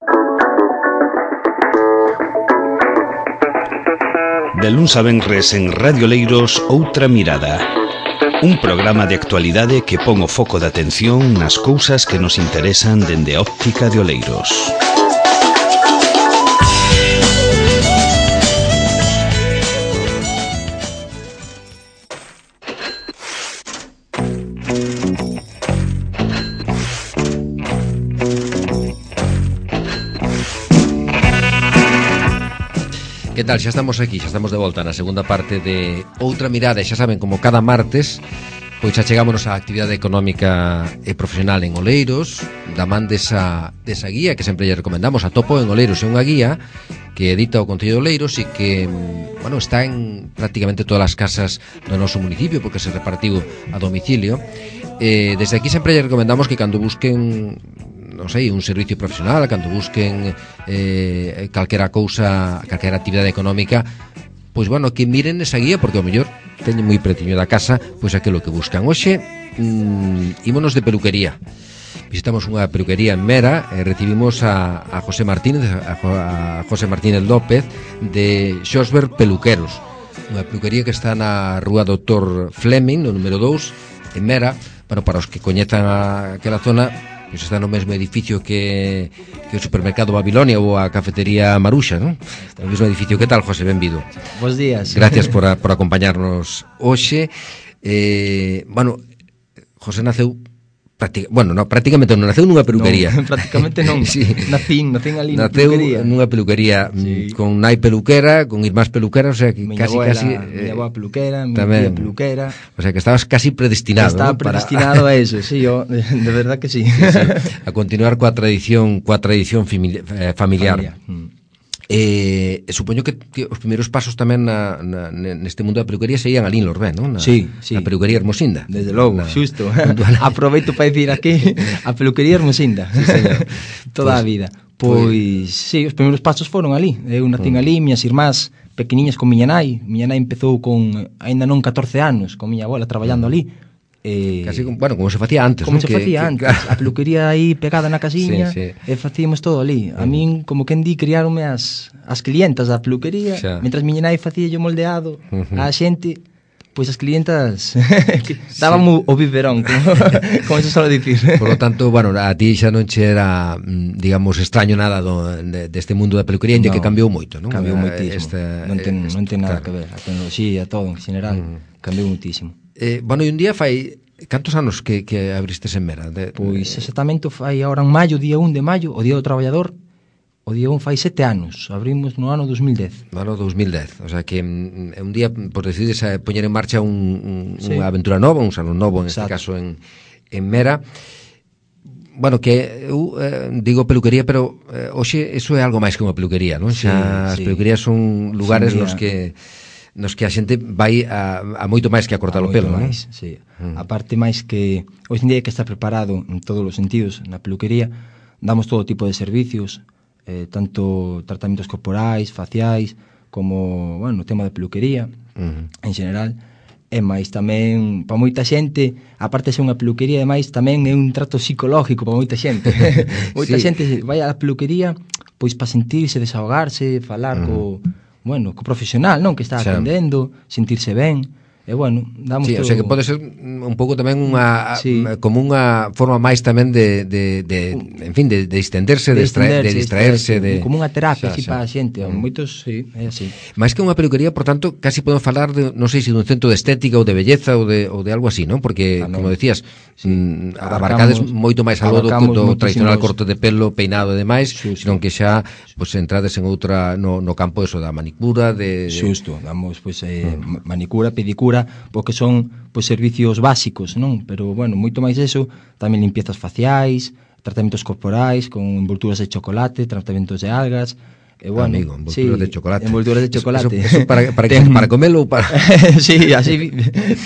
De luns a venres en Radio Oleiros, Outra Mirada. Un programa de actualidade que pon o foco de atención nas cousas que nos interesan dende a óptica de Oleiros. Que tal? Xa estamos aquí, xa estamos de volta na segunda parte de Outra Mirada. E xa saben, como cada martes, pois achegámonos á actividade económica e profesional en Oleiros, da man desa guía que sempre lle recomendamos. A Topo en Oleiros é unha guía que edita o Concello de Oleiros e que, bueno, está en prácticamente todas as casas do noso municipio, porque se repartiu a domicilio. Desde aquí sempre lle recomendamos que cando busquen, non sei, un servicio profesional, cando busquen calquera cousa, calquera actividade económica, pois, bueno, que miren esa guía, porque ao mellor teñen moi pretiño da casa pois aquilo que buscan. Hoxe ímonos de peluquería. Visitamos unha peluquería en Mera e recibimos a José Martínez, a José Martínez López de Xosber Peluqueros, unha peluquería que está na rúa Dr. Fleming, no número 2, en Mera. Bueno, para os que coñezan aquela zona, pois está no mesmo edificio que o supermercado Babilonia ou a cafetería Maruxa, non? No mesmo edificio. Que tal, José? Benvido. Bos días. Gracias por acompañarnos hoxe. Bueno, José naceu prácticamente non naceu nunha peluquería. Non, prácticamente non. Sí. Nacín ali na peluquería. Naceu nunha peluquería, sí, con nai peluquera, con irmás peluqueras, o sea que miña abuela peluquera, miña tía peluquera. O sea que estabas casi predestinado. Estaba predestinado a eso, sí, yo de verdad que sí. A continuar coa tradición familiar. Supoño que os primeiros pasos tamén neste mundo da peluquería serían ali en Lorbén, non? Sí. Na peluquería Hermosinda. Desde logo, xusto. Aproveito para dicir aquí a peluquería Hermosinda. Sí, señor. Toda a vida. Pois, sí, os primeiros pasos foron ali. Eu nacín ali, miñas irmás pequeniñas con miña nai. Miña nai empezou con, aínda non 14 anos, con miña abuela traballando ali. Casi, bueno, como se facía antes, como se facía antes, a peluquería aí pegada na casiña, sí. E facíamos todo ali. A min, como quen di, criáronme as clientas da peluquería, mentras miña nai facía yo moldeado a xente, pois as clientas daban o biberón, como se sola dicir. Por lo tanto, bueno, a ti xa non che era, digamos, extraño nada deste mundo da peluquería, que cambiou moito, non? Cambiou moitísimo, non ten nada que ver, a tecnoloxía, todo en general, cambiou moitísimo. Bueno, e un día fai... Cantos anos que abristes en Mera? Pois exactamente fai agora en maio, día 1 de maio, o Día do Traballador. O día 1 fai 7 anos. Abrimos no ano 2010. No ano 2010. O sea que un día, por decides poñer en marcha unha aventura nova, un salón novo, en este caso en Mera. Bueno, que eu digo peluquería, pero hoxe eso é algo máis que unha peluquería, non? Xa as peluquerías son lugares nos que a xente vai a moito máis que a cortar o pelo, non? Sí. A parte máis que hoxe en día hai que estar preparado en todos os sentidos. Na peluquería damos todo tipo de servicios, tanto tratamentos corporais, faciais, como, bueno, o tema de peluquería en general. E máis tamén, para moita xente, aparte de ser unha peluquería, ademais tamén é un trato psicológico para moita xente. Moita xente vai á peluquería pois para sentirse, desahogarse, falar co profesional, non, que está atendendo, sentirse ben. E bueno, damos todo... O sea que pode ser un pouco tamén como unha forma máis tamén de distenderse, de distraerse, como unha terapia para a xente. Moitos, sí, é así. Máis que unha peluquería, por tanto, casi podemos falar de, non sei se dun centro de estética ou de belleza ou de algo así, non? Porque, como decías, abarcades moito máis algo do tradicional corte de pelo, peinado e demais, senón que xa entrades en outra no campo da manicura, Xusto, damos manicura, pedicura, porque son servicios básicos, non? Pero, bueno, moito máis eso, tamén limpiezas faciais, tratamentos corporais con envolturas de chocolate, tratamentos de algas, e, bueno, amigo, envolturas de chocolate. Envolturas de chocolate. Eso para comelo ou para... Sí, así,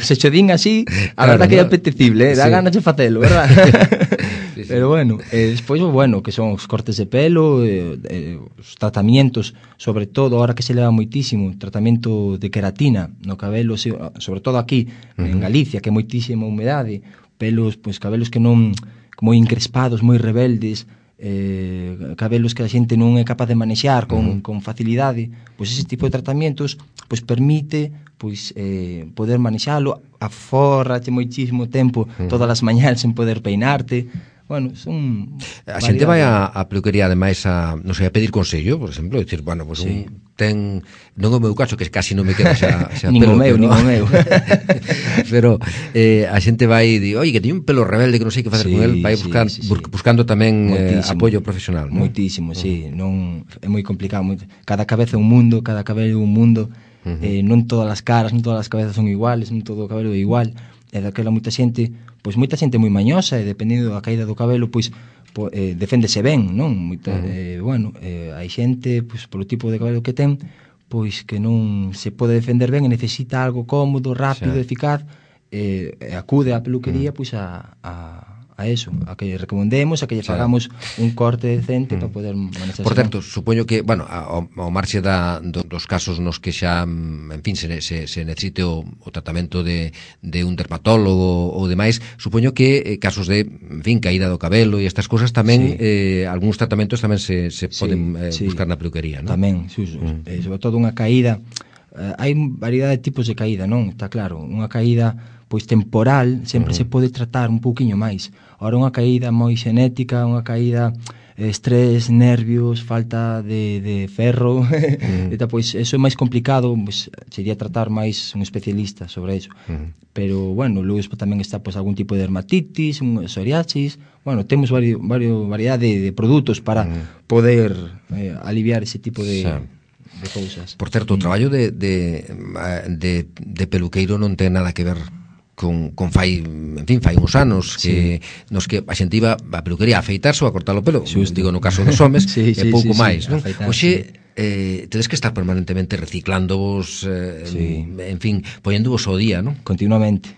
se chodín así, a verdad que é apetecible, dá ganas de facelo, verdad? Sí. Pero, bueno, despois, bueno, que son os cortes de pelo, os tratamientos, sobre todo, ahora que se leva moitísimo, tratamento de queratina no cabelo, sobre todo aquí, en Galicia, que é moitísima humedade, cabelos que non, moi encrespados, moi rebeldes, cabelos que a xente non é capaz de manexar con facilidade, pois ese tipo de tratamentos pois permite pois poder manexalo, aforrache moitísimo tempo todas as mañás sen poder peinarte. Bueno, son a xente vai a peluquería ademais a, non sei, a pedir consello, por exemplo, dicir, bueno, pues sí. Ten, non é o meu caso, que casi non me queda xa nin pelo, nin o meu. Pero a xente vai e di, oi, que teño un pelo rebelde que non sei que facer con el, vai buscando tamén apoio profesional, non? Moitísimo, sí, non é moi complicado, cada cabeza é un mundo, cada cabelo é un mundo, non todas as caras, non todas as cabezas son iguales, non todo o cabelo é igual, e daquela moita xente moi mañosa, e dependendo da caída do cabelo, pois deféndese ben, non? Hai xente, pois polo tipo de cabelo que ten, pois que non se pode defender ben e necesita algo cómodo, rápido, eficaz, e acude á peluquería pois a eso, a que recomendemos, a que lle pagamos un corte decente para poder manexarse. Por certo, supoño que, bueno, ao marxe dos casos nos que xa, en fin, se necesite o tratamento de un dermatólogo ou demais, supoño que casos de, en fin, caída do cabelo e estas cousas tamén, algúns tratamentos tamén se poden buscar na peluquería, non? Tamén, sobre todo unha caída, hai variedade de tipos de caída, non? Está claro, unha caída pois temporal sempre se pode tratar un pouquiño máis. Ora, unha caída moi xenética, unha caída estrés, nervios, falta de ferro, pois eso é máis complicado, pois sería tratar máis un especialista sobre eso. Pero, bueno, logo tamén está pois algún tipo de dermatitis, un psoriasis, bueno, temos variedade de produtos para poder aliviar ese tipo de cousas. Por certo, o traballo de peluqueiro non ten nada que ver con fai uns anos que nos que a xente iba a peluquería a afeitarse ou a cortar o pelo, digo no caso dos homes, é pouco máis, non? Hoxe tedes que estar permanentemente reciclándovos, en fin, poñéndovos ao día, non? Continuamente.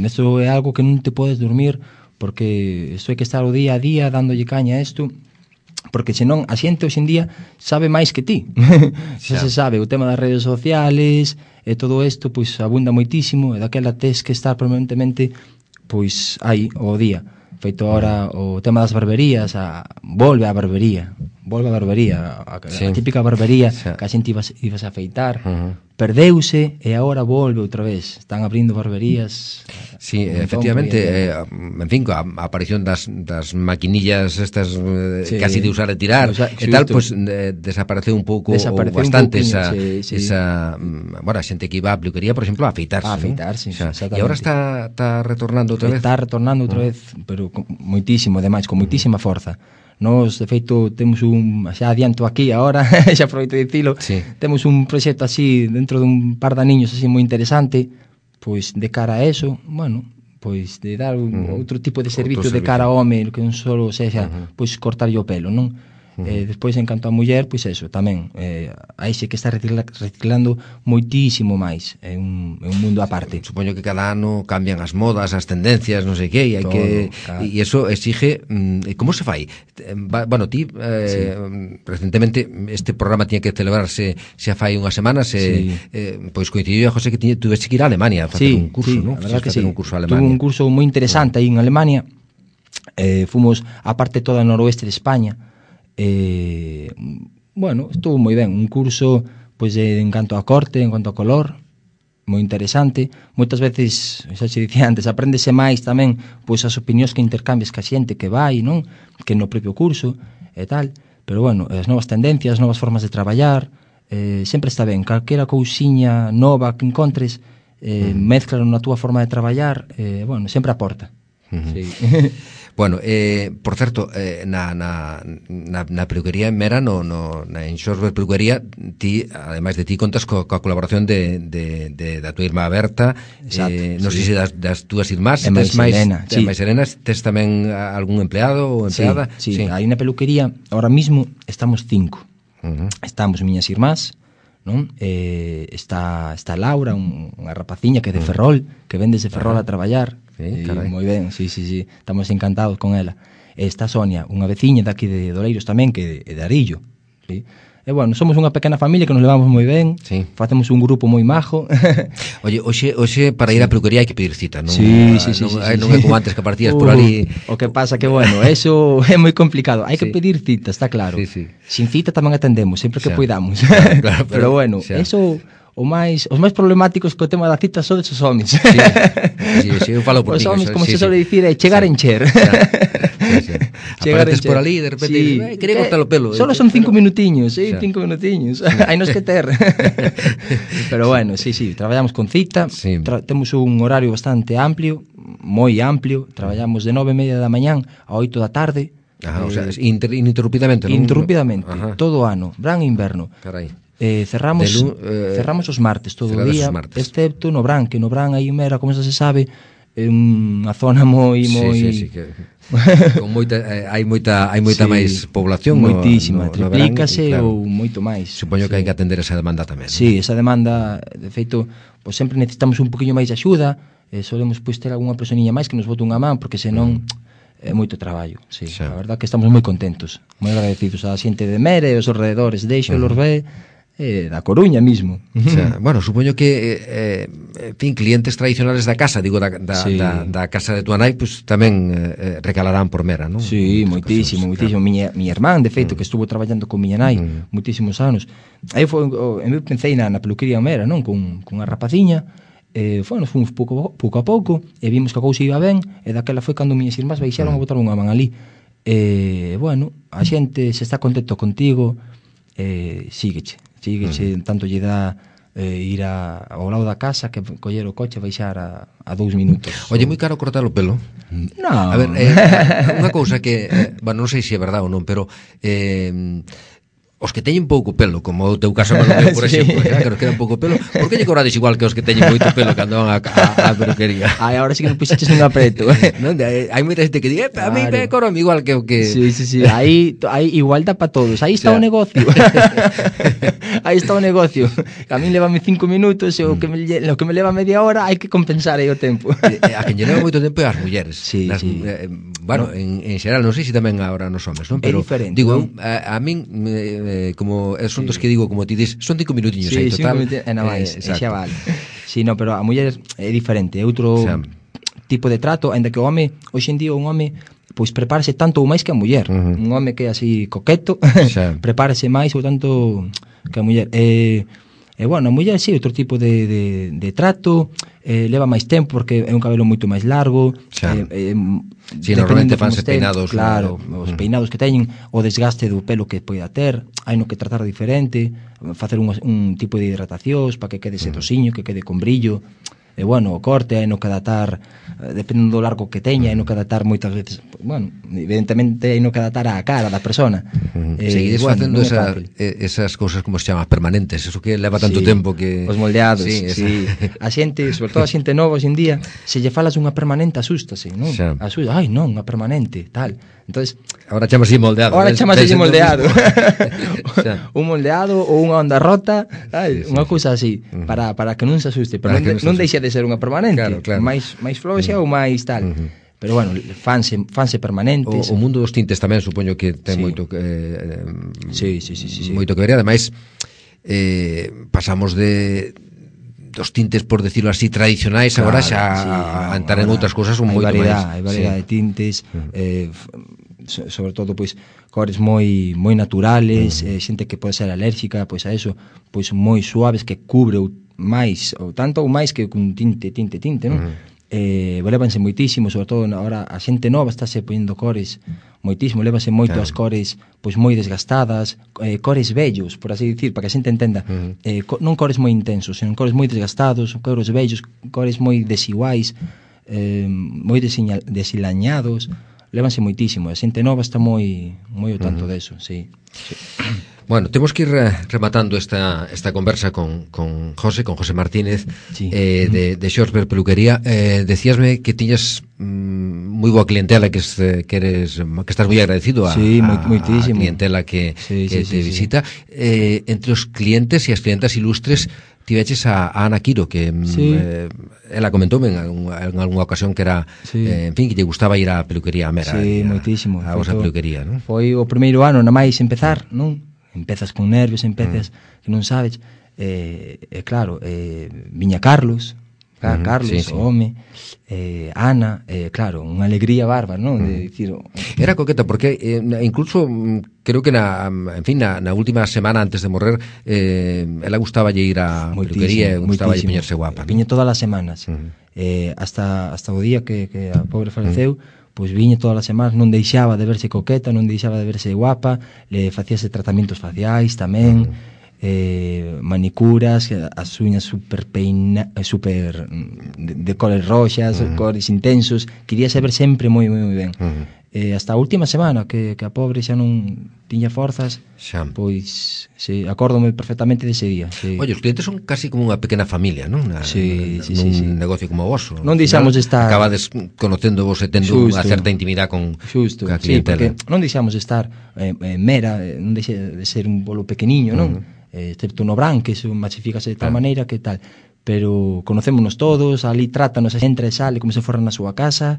Nesto é algo que non te podes dormir, porque isto hai que estar o día a día dándolle caña a isto, porque senón a xente hoxe en día sabe máis que ti. Se sabe o tema das redes sociales e todo isto, pois abunda moitísimo, e daquela tes que estar permanentemente pois aí o día. Feito ahora o tema das barberías, volve a barbería, a típica barbería que a xente ibas a afeitar, perdeuse e agora volve outra vez. Están abrindo barberías. Sí, efectivamente, en fin, a aparición das maquinillas estas casi de usar e tirar e tal, pois desapareceu un pouco bastante esa bueno, a xente que iba a peluquería, por exemplo, a afeitarse. E agora está retornando outra vez. Está retornando outra vez, pero moitísimo, ademais, con moitísima forza. Nos, de feito, temos xa adianto aquí agora, xa aproveito de dicilo, temos un proxecto así dentro dun par de aniños así moi interesante, pois de cara a eso, bueno, pois de dar outro tipo de servicio de cara ao home, que non só sexa pois cortar o pelo, non? Despois, en canto a muller, pois eso, tamén aí xe que está reciclando moitísimo máis, é un mundo aparte. Supoño que cada ano cambian as modas, as tendencias, non sei que, e hai que e eso exige, como se fai? Bueno, ti recentemente este programa tiña que celebrarse xa fai unhas semanas, pois coincidiu a José que tuvese que ir a Alemania a facer un curso, non? A verdad que sí, tuve un curso moi interesante aí en Alemania, fomos a parte toda noroeste de España. Bueno, estuvo moi ben, un curso pois en canto a corte, en canto a color, moi interesante. Moitas veces, xa se dicía antes, apréndese máis tamén pois as opinións que intercambias ca xente que vai, non? Que no propio curso e tal. Pero bueno, as novas tendencias, as novas formas de traballar, sempre está ben, calquera cousiña nova que encontres, mézclalo na túa forma de traballar, bueno, sempre aporta. Sí. Bueno, por certo, na peluquería en Mera, na Enxorbe Peluquería, ti, ademais de ti, contas coa colaboración da tua irmá Berta, non sei se das túas irmás, tes máis serenas, tes tamén algún empleado ou empleada? Sí, aí na peluquería, ahora mismo, estamos 5. Estamos miñas irmás, non? Está Laura, unha rapaciña que é de Ferrol, que ven desde Ferrol a traballar. Moi ben, sí, estamos encantados con ela. Está Sonia, unha veciña daqui de Doleiros tamén, que é de Arillo, sí? E bueno, somos unha pequena familia que nos levamos moi ben, sí. Facemos un grupo moi majo. Oye, hoxe para ir á peluquería hai que pedir cita, non? Sí. Non é como antes que partías por ali. O que pasa que, bueno, eso é moi complicado. Hai que pedir cita, está claro. Sí. Sin cita tamén atendemos, sempre que poidamos. Claro, pero bueno, eso... Os máis problemáticos co tema da cita son esos homens. Sí, eu falo por os ti. Os homens, como se suele dicir, é chegar en cher. Apareces por ali e de repente quería cortar o pelo. Solo son 5 minutiños, 5 minutiños. Hai nos que ter. Pero bueno, sí, traballamos con cita, temos un horario bastante amplio, moi amplio, traballamos de 9:30 da mañán a 8 da tarde. O sea, ininterrumpidamente, non? Interrumpidamente, todo o ano, verán e inverno. Carai. Cerramos os martes todo o día, excepto no Brán, que no Brán aí mera, como xa se sabe, é unha zona moi que con moita hai moita máis población, moitísima, triplícase ou moito máis. Supoño que hai que atender esa demanda tamén. Sí, esa demanda, de feito, pois sempre necesitamos un poquinho máis de axuda, solemos pois ter algunha personiña máis que nos bote unha man, porque senón é moito traballo, sí. A verdad que estamos moi contentos, moi agradecidos a xente de Mere e os alrededores, deixo-los ver da Coruña mismo. O sea, bueno, supoño que en fin, clientes tradicionales da casa, digo, da casa de tua nai, pues tamén recalarán por Mera, non? Sí, moitísimo. Miña irmán, de feito, que estuvo traballando con miña nai moitísimos anos. Aí foi, eu pensei na peluquería Mera, non? Con a rapaciña, nos fomos pouco a pouco, e vimos que a cousa iba ben, e daquela foi cando miñas irmás baixaron a botar unha man ali. Bueno, a xente se está contento contigo, sígueche, tanto lle dá ir ao lado da casa que coller o coche e baixar a 2 minutos. Oye, moi caro cortar o pelo? Non. A ver, unha cousa que, bueno, non sei se é verdade ou non, pero os que teñen pouco pelo, como o teu caso, por exemplo, que nos queda pouco pelo, por que lle cobrades igual que os que teñen moito pelo cando van á peluquería? Ai, agora sí que non puxeches un apreto. Non, hai moita xente que di, a mí me cobran igual que o que... Sí, aí igualdad para todos, aí está o negocio. Aí está o negocio. A mí levame 5 minutos e o que me leva media hora hai que compensar aí o tempo. A quen lle leva moito tempo é as mulleres. Sí. Bueno, en xeral, non sei se tamén agora nos homes, non? Pero, é diferente. Digo, a min, como son dos que digo, como ti dis, son 5 minutiños aí, total. Sí, 5 minutos, máis, xa vale. Sí, no, pero a muller é diferente, é outro tipo de trato, ainda que o home, hoxe en día un home pois prepárase tanto ou máis que a muller. Un home que é así coqueto, prepárase máis ou tanto que a muller. Bueno, a muller sí, outro tipo de trato, leva máis tempo porque é un cabelo moito máis largo. Si, normalmente fanse peinados. Claro, os peinados que teñen, o desgaste do pelo que poida ter, hai no que tratar diferente, facer un tipo de hidratacións para que quede sedosiño, que quede con brillo. E bueno, o corte hai no que adaptar, dependendo do largo que teña, hai no que adaptar moitas veces, bueno, evidentemente hai no que adaptar á cara da persona. Seguides facendo esas cousas como se chama permanentes, eso que leva tanto tempo que... Os moldeados, sí. A xente, sobre todo a xente nova hoxe en día, se lle falas unha permanente asústase, non? Ai, non, unha permanente, tal. Entonces, ahora chamase moldeado. Ahora chamase moldeado. Un moldeado ou unha onda rota, unha cousa así, para que non se asuste, pero non deixe de ser unha permanente. Claro. máis floxa ou máis tal. Pero bueno, fanse permanentes. O mundo dos tintes tamén supoño que ten moito que moito que ver, ademais pasamos dos tintes, por decirlo así, tradicionais, agora xa a entrar en outras cousas un moito máis. Hai variedade de tintes, sobre todo pois cores moi naturales, xente que pode ser alérxica pois a eso, pois moi suaves que cubre máis ou tanto ou máis que un tinte, non? Levanse moitísimo, sobre todo agora a xente nova estáse poñendo cores moitísimo, levanse moito as cores pois moi desgastadas, cores vellos, por así dicir, para que a xente entenda, non cores moi intensos, senón cores moi desgastados, cores vellos, cores moi desiguais, moi desilañados, levanse moitísimo, a xente nova está moi ao tanto deso, sí. Bueno, temos que ir rematando esta conversa con José Martínez, de Xorsberg Peluquería. Decíasme que tiñas moi boa clientela, que estás moi agradecido a clientela que te visita. Entre os clientes e as clientas ilustres tiveches a Ana Quiro, que ela comentoume en algunha ocasión que era, en fin, que lle gustaba ir á peluquería Mera. Sí, moitísimo. A vosa peluquería, non? Foi o primeiro ano, na máis empezar, non? empezas con nervios, empezas que non sabes, claro, viña Carlos, Carlos, sí. o home, Ana, claro, unha alegría bárbara, non? De dicir, Era coqueta porque incluso creo que na última semana antes de morrer ela gustaba ir a peluquería e gustaba poñerse guapa, viña todas as semanas, hasta o día que a pobre faleceu, pois viña todas as semanas, non deixaba de verse coqueta, non deixaba de verse guapa, le facíase tratamentos faciais tamén, manicuras, as uñas super de cores roxas, cores intensos, queríase ver sempre moi ben. Hasta a última semana que a pobre xa non tiña forzas, pois acórdome perfectamente dese día. Oye, os clientes son casi como unha pequena familia, non? Nun negocio como o vosso. Non deixamos de estar, acabades conocendo vos e tendo unha certa intimidade con a clientela. Non deixamos de estar mera, non deixa de ser un bolo pequeniño, non? Excepto no Bran, que machifícase de tal maneira que tal, pero conocémonos todos, ali trátanos, entra e sale como se fora na súa casa,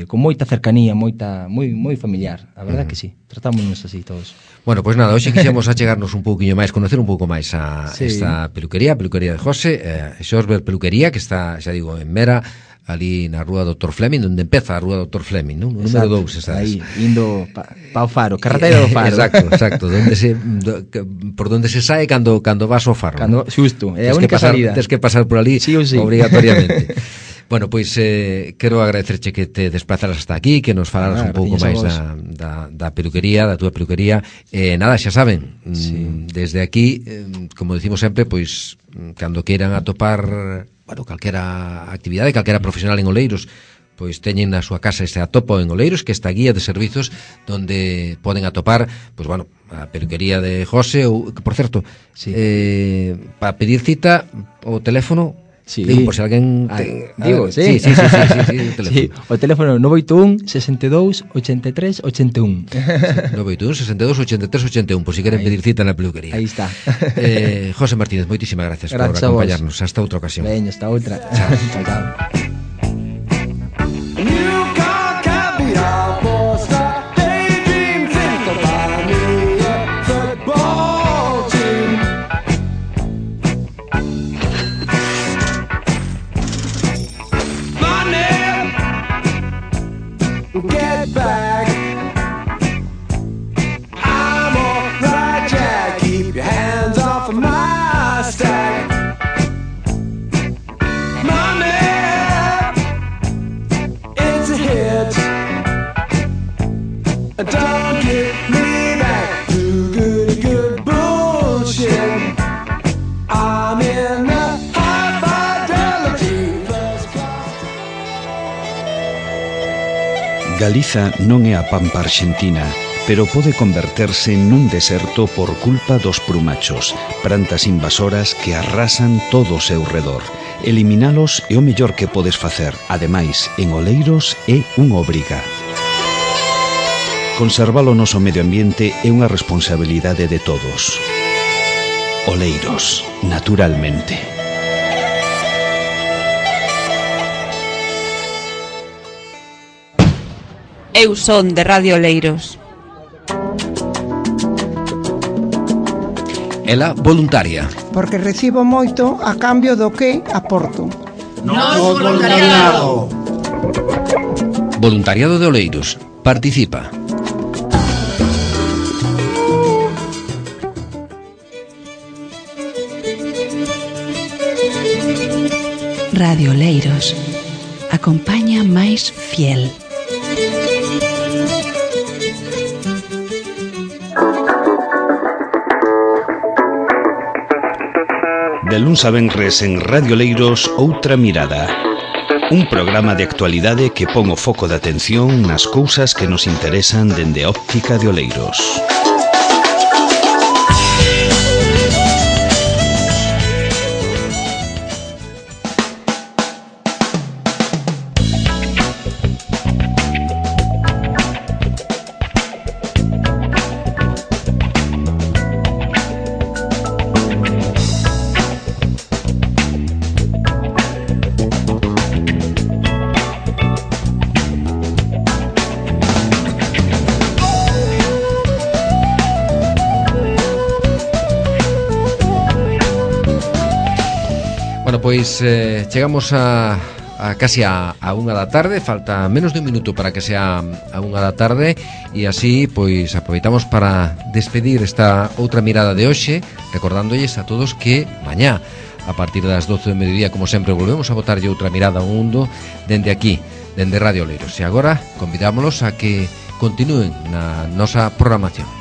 con moita cercanía, moi familiar, a verdade que sí, tratámonos así todos. Bueno, pois nada, hoxe quixemos achegarnos un pouquiño máis, conocer un pouco máis a esta peluquería de José, Xosber Peluquería, que está, xa digo, en Mera, ali na rúa Dr. Fleming, onde empeza a rúa Dr. Fleming, non? O número 2, sabes? Aí, indo pa o Faro, carreteira do Faro. Exacto, por donde se sae cando vas ao Faro. Xusto, é a única salida. Tens que pasar por ali, sí, obrigatoriamente. Bueno, pois quero agradecerche que te desplazaras hasta aquí, que nos falaras un pouco máis da peluquería, da túa peluquería. Nada, xa saben, desde aquí, como decimos sempre, pois cando queiran atopar, bueno, calquera actividade, calquera profesional en Oleiros, pois teñen na súa casa este atopo en Oleiros, que esta guía de servizos donde poden atopar, pois bueno, a peluquería de José, ou, por certo, para pedir cita o teléfono. Sí. Digo, por si alguén digo, sí, o teléfono. Sí, o teléfono 981 62 83 81. 981 62 83 81, por si queren pedir cita na peluquería. Aí está. José Martínez, moitísimas gracias por acompañarnos. Hasta outra ocasión. Veña, hasta outra. Chao. Get back. I'm alright, Jack. Keep your hands off of my stack. Money, it's a hit. Don't get me back to good bullshit. I'm in the high fidelity first class. Galiza non é a pampa arxentina, pero pode converterse nun deserto por culpa dos prumachos, plantas invasoras que arrasan todo o seu redor. Eliminalos é o mellor que podes facer. Ademais, en Oleiros é unha obriga. Conservar o noso medio ambiente é unha responsabilidade de todos. Oleiros, naturalmente. Eu son de Radio Oleiros. Ela voluntaria. Porque recibo moito a cambio do que aporto. Nos voluntariado. Voluntariado de Oleiros. Participa. Radio Oleiros. A compañía máis fiel. De luns a venres en Radio Oleiros, Outra Mirada. Un programa de actualidade que pon o foco de atención nas cousas que nos interesan dende a óptica de Oleiros. Bueno, pois chegamos a casi a unha da tarde. Falta menos de un minuto para que sea a unha da tarde. E así, pois, aproveitamos para despedir esta outra mirada de hoxe, recordándolles a todos que mañá, a partir das 12 do mediodía, como sempre, volvemos a botarlle outra mirada ao mundo dende aquí, dende Radio Oleiros. E agora convidámolos a que continúen na nosa programación.